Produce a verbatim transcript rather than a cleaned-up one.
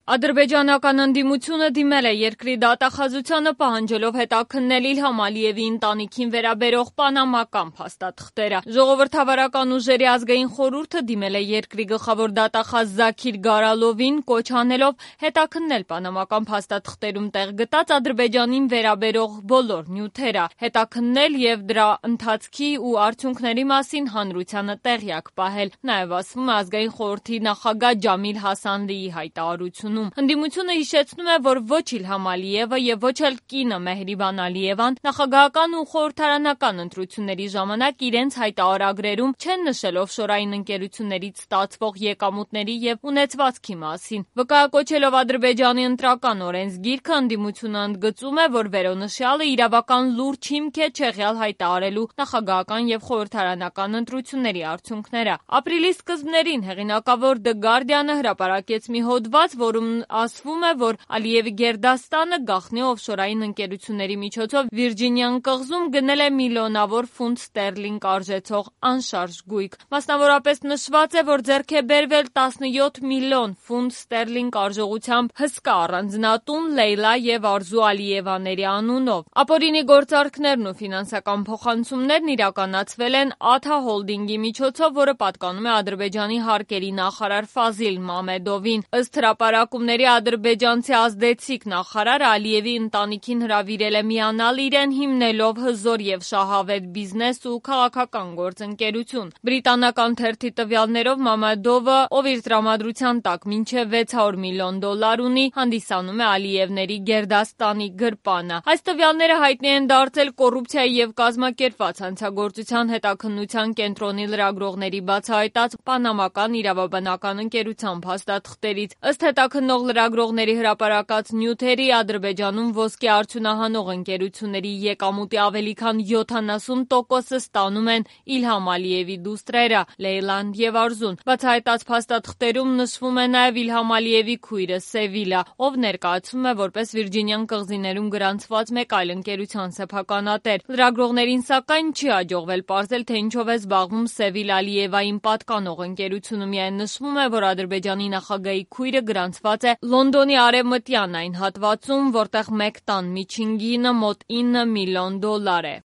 Ադրբեջանական ընդդիմությունը դիմել է երկրի դատախազությանը պահանջելով հետաքննել Իլհամ Ալիևի ընտանիքին վերաբերող պանամական փաստաթղթերը։ Ժողովրդավարական ուժերի ազգային խորհուրդը դիմել է երկրի գլխավոր դատախազ Զաքիր Գարալովին, կոչ անելով հետաքննել պանամական փաստաթղթերում տեղ գտած Ադրբեջանին վերաբերող բոլոր նյութերը, հետաքննել եւ դրա ընթացքի ու արդյունքների մասին հանրությանը տեղյակ պահել, նաեւ ասվում է ազգային խորհրդի նախագահ Ջամիլ Հասանլիի հայտարարությունում։ Ընդդիմությունը հիշեցնում է, որ ոչ Իլհամ Ալիևը եւ ոչ էլ կինը Մեհրիբան Ալիևան նախագահական ու խորհրդարանական ընտրությունների ժամանակ իրենց հայտարարագրերում չեն նշել օֆշորային ընկերություններից ստացվող եկամուտների եւ ունեցվածքի մասին։ Վկայակոչելով Ադրբեջանի ընտրական օրենսգիրքը, ընդդիմությունը ընդգծում է, որ վերոնշյալը իրավական լուրջ հիմք է չեղյալ հայտարարելու նախագահական եւ խորհրդարանական ընտրությունների արդյունքները։ Ապրիլի սկզբներին հեղինակավոր The Guardian-ը հրապարակեց մի հոդված, որում ասվում է, որ Ալիևի Գերդաստանը գաղտնի օֆշորային ընկերությունների միջոցով Վիրջինիան կղզում գնել է միլիոնավոր ֆունտ ստերլինգ արժեցող անշարժ գույք։ Մասնավորապես նշված է, որ ձեռք է բերվել տասնյոթ միլիոն ֆունտ ստերլինգ արժողությամբ հսկա առանձնատուն Լեյլա եւ Արզու Ալիևաների անունով։ Ապօրինի գործարքներն ու ֆինանսական փոխանցումներն իրականացվել են Աթա Հոլդինգի միջոցով, որը պատկանում է Ադրբեջանի հարկերի նախարար Ֆազիլ Մամեդովին։ Ըստ հրապարակումների ադրբեջանցի ազդեցիկ նախարարը Ալիևի ընտանիքին հրավիրել է միանալ իրեն, հիմնելով հզոր եւ շահավետ բիզնես ու քաղաքական գործընկերություն։ Բրիտանական թերթի տվյալներով Մամեդովը, ով իր տրամադրության տակ մինչև վեց հարյուր միլիոն դոլար ունի, հանդիսանում է Ալիևների Գերդաստանի գրպանը։ Այս տվյալները հայտնի են դարձել կոռուպցիայի եւ կազմակերպված հանցագործության հետաքննության կենտրոնի լրագրողների բացահայտած պանամական իրավաբանական ընկերության փաստաթղթերից։ Ըստ հետաքննող լրագրողների հրապարակած նյութերի, Ադրբեջանում ոսկե արդյունահանող ընկերությունների եկամուտի ավելի քան յոթանասուն տոկոսը ստանում են Իլհամ Ալիևի դուստրերը Լեյլան եւ Արզուն։ Բացահայտած փաստաթղթերում նշվում է նաեւ Իլհամ Ալիևի քույրը Սևիլա, ով ներկայացվում է որպես Վիրջինիան կղզիներում գրանցված մեկ այլ ընկերության սեփականատեր։ Լրագրողներին սակայն չի հաջողվել պարզել, թե ինչով է զբաղվում Սևիլ Ալիևային պատկանող ընկերությունը։ Միայն նշվում է, որ Ադրբեջանի նախագահի քույրը գրանցված է Լոնդոնի արևմտյան այն հատվածում, որտեղ մեկ տան միջին գինը մոտ ինը միլիոն դոլար է։